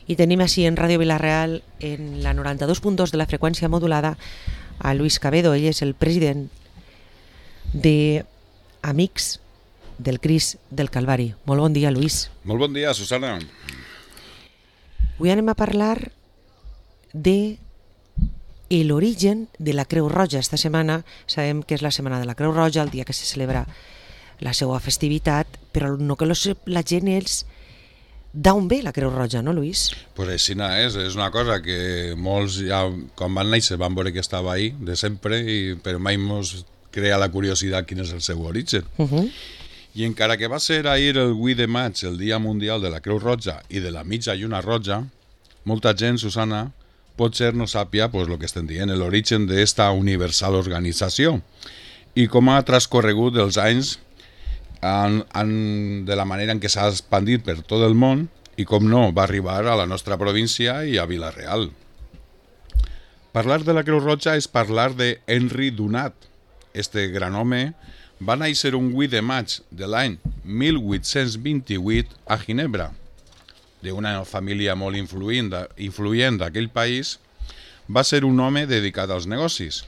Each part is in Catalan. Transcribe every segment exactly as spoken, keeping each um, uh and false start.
I tenim així en Ràdio Vila-real, en la noranta-dos punt dos de la freqüència modulada, a Luis Cabedo. Ell és el president de Amics del Crist del Calvari. Molt bon dia, Luis. Molt bon dia, Susana. Avui anem a parlar de l'origen de la Creu Roja. Esta setmana sabem que és la setmana de la Creu Roja, el dia que se celebra la seva festivitat, però no que la gent és d'on ve la Creu Roja, no, Luis? Pues així és, és una cosa que molts ja, quan van néixer, van veure que estava ahí de sempre, i, però mai ens crea la curiositat quin és el seu origen. Uh -huh. I encara que va ser ahir el vuit de maig, el Dia Mundial de la Creu Roja i de la Mitja Lluna Roja, molta gent, Susana, potser no sàpia pues, el que estem dient, l'origen d'esta universal organització i com ha transcorregut els anys en, en, de la manera en què s'ha expandit per tot el món i com no va arribar a la nostra província i a Vila-real. Parlar de la Creu Roja és parlar de Henry Dunant. Este gran home va néixer un vuit de maig de l'any mil vuit-cents vint-i-vuit a Ginebra. D'una família molt influent d'aquell país, va ser un home dedicat als negocis.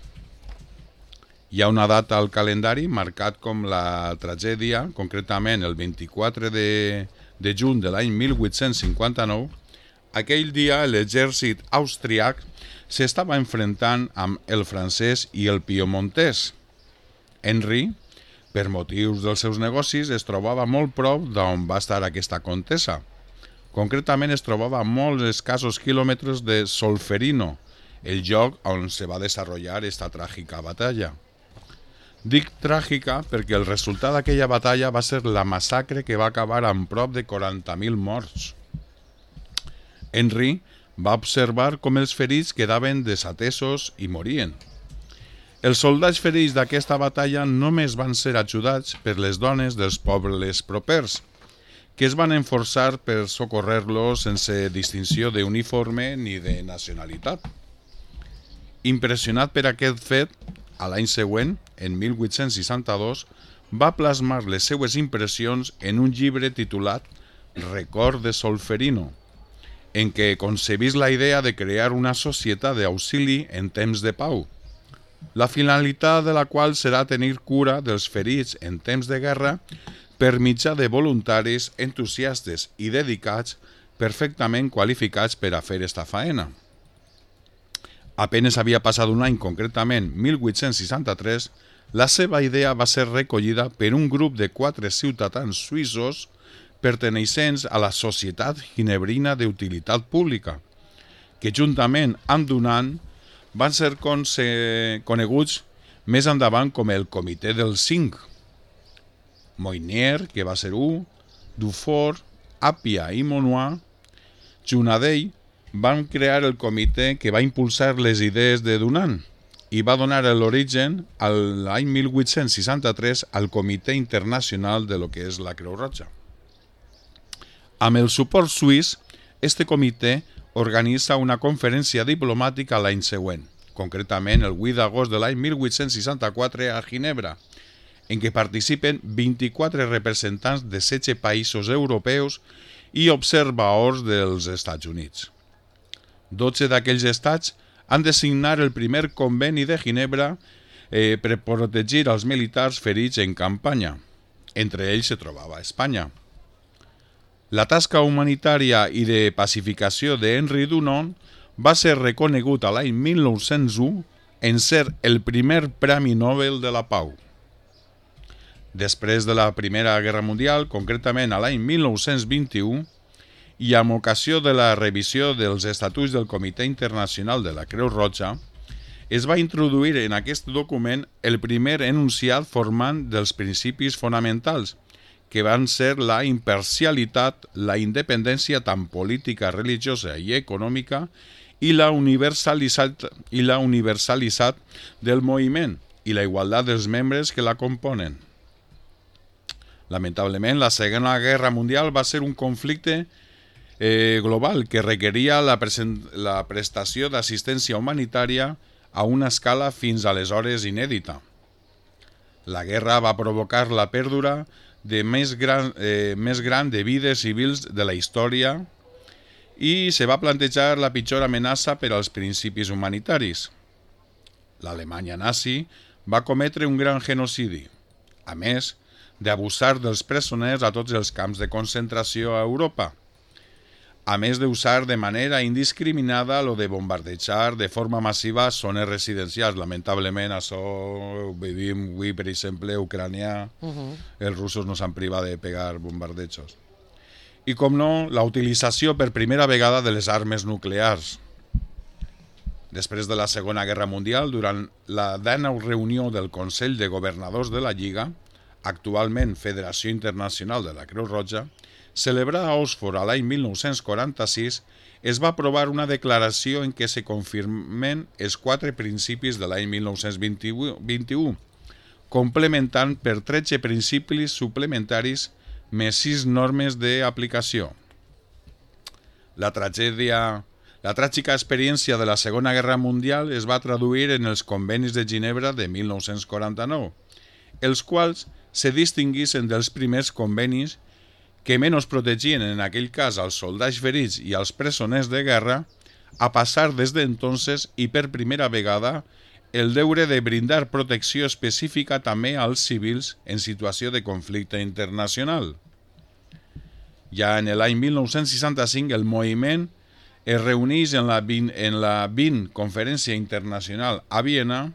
Hi ha una data al calendari marcat com la tragèdia, concretament el vint-i-quatre de juny de l'any mil vuit-cents cinquanta-nou. Aquell dia l'exèrcit austríac s'estava enfrontant amb el francès i el piemontès. Henry, per motius dels seus negocis, es trobava molt prop d'on va estar aquesta contesa. Concretament es trobava a molts escassos quilòmetres de Solferino, el lloc on se va desenvolupar aquesta tràgica batalla. Dic tràgica perquè el resultat d'aquella batalla va ser la massacre que va acabar amb prop de quaranta mil morts. Henry va observar com els ferits quedaven desatesos i morien. Els soldats ferits d'aquesta batalla només van ser ajudats per les dones dels pobles propers, que es van enforçar per socorrer-los sense distinció d'uniforme ni de nacionalitat. Impressionat per aquest fet, a l'any següent, en mil vuit-cents seixanta-dos, va plasmar les seues impressions en un llibre titulat Record de Solferino, en què concebís la idea de crear una societat d'auxili en temps de pau, la finalitat de la qual serà tenir cura dels ferits en temps de guerra per mitjà de voluntaris entusiastes i dedicats perfectament qualificats per a fer esta faena. Apenes havia passat un any, concretament mil vuit-cents seixanta-tres, la seva idea va ser recollida per un grup de quatre ciutadans suïssos perteneixents a la Societat Ginebrina d'Utilitat Pública, que juntament amb Dunant van ser coneguts més endavant com el Comitè dels Cinc. Moynier, que va ser un, Dufour, Appia i Monnois, junt a ell, van crear el comitè que va impulsar les idees de Dunant i va donar l'origen l'any mil vuit-cents seixanta-tres al Comitè Internacional de lo que és la Creu Roja. Amb el suport suís, este comitè organitza una conferència diplomàtica l'any següent, concretament el vuit d'agost de l'any mil vuit-cents seixanta-quatre a Ginebra, en què participen vint-i-quatre representants de setze països europeus i observadors dels Estats Units. dotze d'aquells estats han de signar el primer conveni de Ginebra eh, per protegir els militars ferits en campanya. Entre ells se trobava Espanya. La tasca humanitària i de pacificació de Henry Dunant va ser reconegut a l'any mil nou-cents u en ser el primer Premi Nobel de la Pau. Després de la Primera Guerra Mundial, concretament a l'any mil nou-cents vint-i-u, i amb ocasió de la revisió dels estatuts del Comitè Internacional de la Creu Roja, es va introduir en aquest document el primer enunciat formant dels principis fonamentals, que van ser la imparcialitat, la independència tant política, religiosa i econòmica i la universalitat, i la universalitat del moviment i la igualtat dels membres que la componen. Lamentablement, la Segona Guerra Mundial va ser un conflicte eh, global que requeria la, la prestació d'assistència humanitària a una escala fins aleshores inèdita. La guerra va provocar la pèrdua de més gran, eh, més gran de vides civils de la història i se va plantejar la pitjor amenaça per als principis humanitaris. L'Alemanya nazi va cometre un gran genocidi, a més d'abusar dels presoners a tots els camps de concentració a Europa, a més d'usar de manera indiscriminada lo de bombardejar de forma massiva zones residencials. Lamentablement, això ho vivim avui, per exemple, a Ucrània, uh-huh. els russos no s'han privat de pegar bombardejos. I, com no, la utilització per primera vegada de les armes nuclears. Després de la Segona Guerra Mundial, durant la dènou reunió del Consell de Governadors de la Lliga, actualment Federació Internacional de la Creu Roja, celebrada a Oxford a l'any mil nou-cents quaranta-sis, es va aprovar una declaració en què se confirmen els quatre principis de l'any mil nou-cents vint-i-u, complementant per tretze principis suplementaris més sis normes d'aplicació. La tragèdia, la tràgica experiència de la Segona Guerra Mundial es va traduir en els convenis de Ginebra de mil nou-cents quaranta-nou, els quals se distinguissin dels primers convenis que menys protegien en aquell cas als soldats ferits i als presoners de guerra, a passar des d'entonces i per primera vegada el deure de brindar protecció específica també als civils en situació de conflicte internacional. Ja en l'any mil nou-cents seixanta-cinc el moviment es reuneix en la vint, en la vint Conferència Internacional a Viena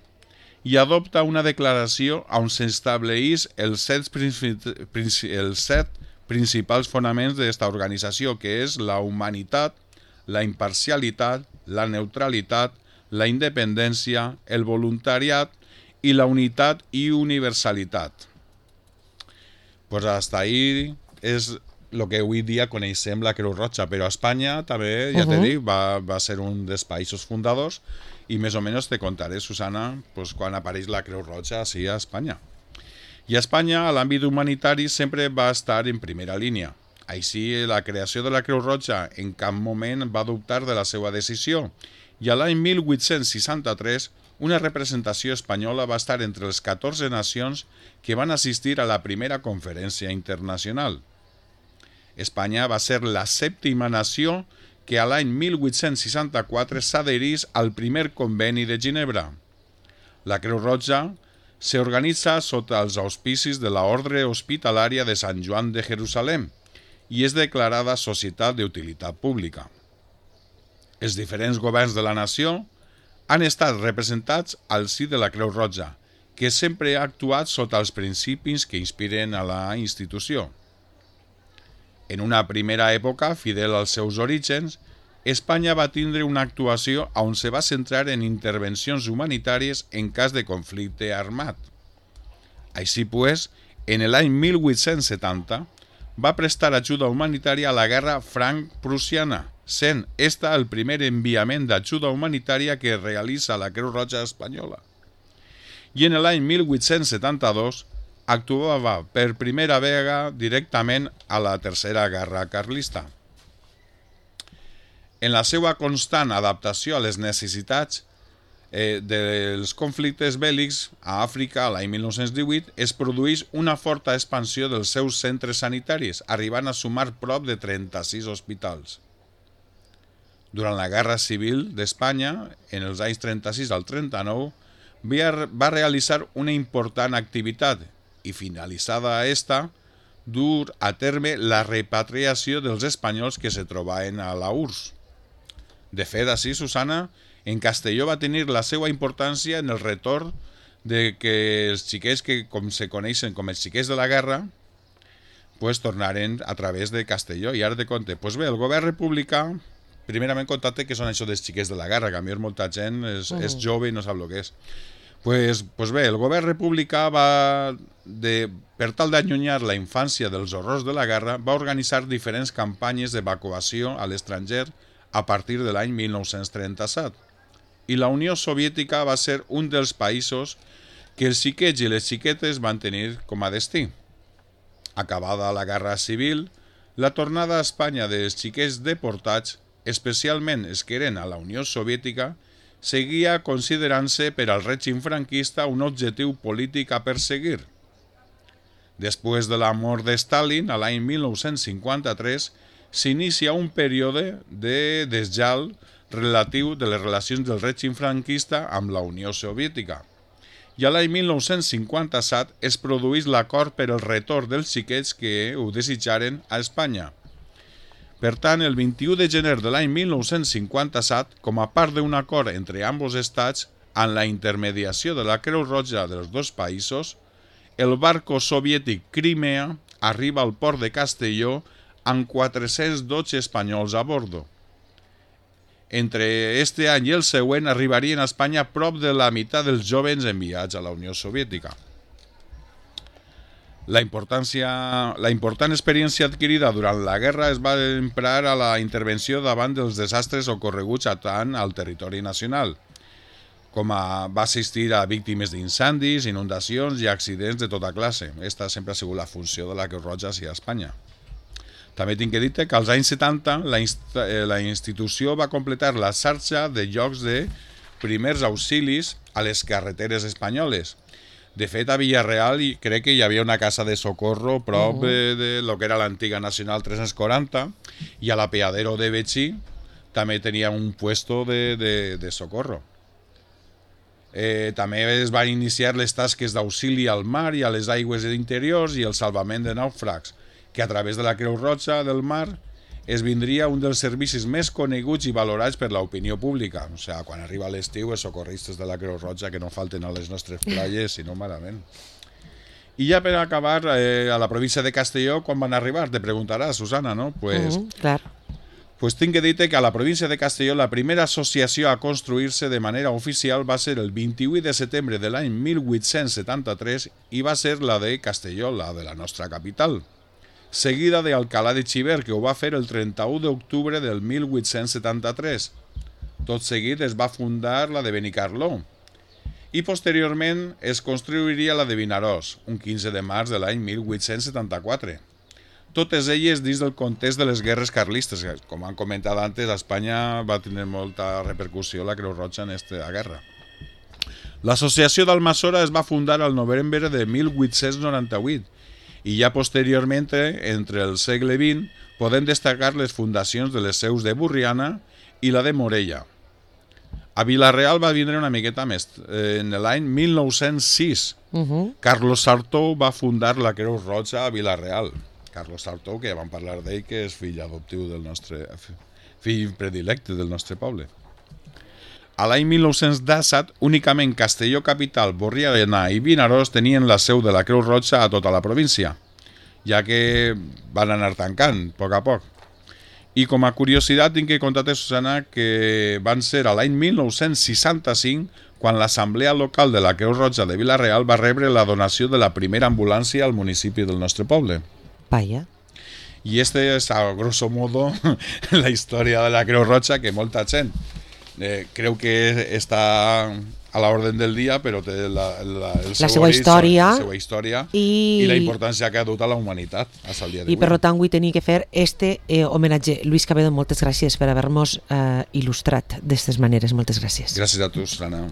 i adopta una declaració on s'estableix els set, els set principals fonaments d'esta organització, que és la humanitat, la imparcialitat, la neutralitat, la independència, el voluntariat i la unitat i universalitat. Pues hasta ahí és el que avui dia coneixem la Creu Roja, però a Espanya també, ja uh-huh. t'he dit, va, va ser un dels països fundadors i més o menys te contaré, Susana, pues, quan apareix la Creu Roja així a Espanya. I a Espanya, a l'àmbit humanitari, sempre va estar en primera línia. Així, la creació de la Creu Roja en cap moment va dubtar de la seva decisió, i a l'any mil vuit-cents seixanta-tres una representació espanyola va estar entre les catorze nacions que van assistir a la primera conferència internacional. Espanya va ser la sèptima nació que a l'any mil vuit-cents seixanta-quatre s'adherís al primer conveni de Ginebra. La Creu Roja s'organitza sota els auspicis de la Ordre Hospitalària de Sant Joan de Jerusalem i és declarada Societat d'Utilitat Pública. Els diferents governs de la nació han estat representats al si de la Creu Roja, que sempre ha actuat sota els principis que inspiren a la institució. En una primera època, fidel als seus orígens, Espanya va tindre una actuació on se va centrar en intervencions humanitàries en cas de conflicte armat. Així pues, en l'any mil vuit-cents setanta va prestar ajuda humanitària a la guerra franc-prussiana, sent esta el primer enviament d'ajuda humanitària que realitza la Creu Roja espanyola. I en l'any mil vuit-cents setanta-dos actuava per primera vegada directament a la Tercera Guerra Carlista. En la seva constant adaptació a les necessitats eh, dels conflictes bèl·lics a Àfrica l'any mil nou-cents divuit es produeix una forta expansió dels seus centres sanitaris, arribant a sumar prop de trenta-sis hospitals. Durant la Guerra Civil d'Espanya, en els anys trenta-sis al trenta-nou, va realitzar una important activitat i, finalitzada esta, dur a terme la repatriació dels espanyols que se trobaven a la U R S S. De fet, així, Susana, en Castelló va tenir la seva importància en el retorn de que els xiquets que com se coneixen com els xiquets de la guerra pues, tornaren a través de Castelló. I ara te conte, pues bé, el govern republicà, primerament contate que són això dels xiquets de la guerra, que a mi molta gent és, uh-huh. és jove i no sap el que és. Pues, pues bé, el govern republicà va, de, per tal d'allunyar la infància dels horrors de la guerra, va organitzar diferents campanyes d'evacuació a l'estranger a partir de l'any mil nou-cents trenta-set. I la Unió Soviètica va ser un dels països que els xiquets i les xiquetes van tenir com a destí. Acabada la Guerra Civil, la tornada a Espanya dels xiquets deportats, especialment els que eren a la Unió Soviètica, seguia considerant-se per al règim franquista un objectiu polític a perseguir. Després de la mort de Stalin, a l'any mil nou-cents cinquanta-tres, s'inicia un període de desgel relatiu de les relacions del règim franquista amb la Unió Soviètica. I a l'any mil nou-cents cinquanta-set es produeix l'acord per al retorn dels xiquets que ho desitjaren a Espanya. Per tant, el vint-i-u de gener de l'any mil nou-cents cinquanta-set, com a part d'un acord entre ambos estats, amb la intermediació de la Creu Roja dels dos països, el barco soviètic Crimea arriba al port de Castelló amb quatre-cents dotze espanyols a bordo. Entre este any i el següent arribarien a Espanya prop de la meitat dels jovens enviats a la Unió Soviètica. La, importància, la important experiència adquirida durant la guerra es va emprar a la intervenció davant dels desastres ocorreguts tant al territori nacional, com a, va assistir a víctimes d'incendis, inundacions i accidents de tota classe. Aquesta sempre ha sigut la funció de la Creu Roja a Espanya. També tinc que dir que als anys setanta la, inst la institució va completar la xarxa de llocs de primers auxilis a les carreteres espanyoles. De fet, a Villarreal crec que hi havia una casa de socorro prop uh -huh. de lo que era l'antiga Nacional tres-cents quaranta i a l'Apeadero de Betxí també tenia un puesto de, de, de socorro. Eh, també es van iniciar les tasques d'auxili al mar i a les aigües interiors i el salvament de nàufrags, que a través de la Creu Roja del Mar esvindria un dels servicis més coneguts i valorats per l'opinió pública. O sigui, quan arriba l'estiu, els socorristes de la Creu Roja que no falten a les nostres platges, sinó malament. I ja per acabar, eh, a la província de Castelló, quan van arribar? Te preguntaràs, Susana, no? Pues, uh -huh, clar. Pues tinc que dir-te que a la província de Castelló la primera associació a construir-se de manera oficial va ser el vint-i-vuit de setembre de l'any mil vuit-cents setanta-tres i va ser la de Castelló, la de la nostra capital, seguida d'Alcalá de Xivert, que ho va fer el trenta-u d'octubre del mil vuit-cents setanta-tres. Tot seguit es va fundar la de Benicarló i posteriorment es construiria la de Vinaròs, un quinze de març de l'any mil vuit-cents setanta-quatre. Totes elles dins del context de les guerres carlistes. Com han comentat antes, a Espanya va tenir molta repercussió la Creu Roja en aquesta guerra. L'associació d'Almassora es va fundar al novembre de mil vuit-cents noranta-vuit i ja posteriorment, entre el segle vint, podem destacar les fundacions de les seus de Burriana i la de Morella. A Vila-real va vindre una miqueta més. En l'any mil nou-cents sis, uh -huh. Carlos Sartou va fundar la Creu Roja a Vila-real. Carlos Sartou, que ja vam parlar d'ell, que és fill adoptiu del nostre... fill predilecte del nostre poble. A l'any mil nou-cents disset, únicament Castelló capital, Borriana i Vinaròs tenien la seu de la Creu Roja a tota la província, ja que van anar tancant a poc a poc. I com a curiositat tinc que contar-te, Susana, que van ser a l'any mil nou-cents seixanta-cinc quan l'Assemblea Local de la Creu Roja de Vila-real va rebre la donació de la primera ambulància al municipi del nostre poble. Vaya. I este és, a grosso modo, la història de la Creu Roja, que molta gent eh, creu que està a l'ordre del dia, però té la, la, el la seva història, la seva història i... i la importància que ha dut a la humanitat fins al dia d'avui. I per tant vull tenir que fer este eh, homenatge. Luis Cabedo, moltes gràcies per haver-nos eh, il·lustrat d'aquestes maneres. Moltes gràcies. Gràcies a tu, Susana.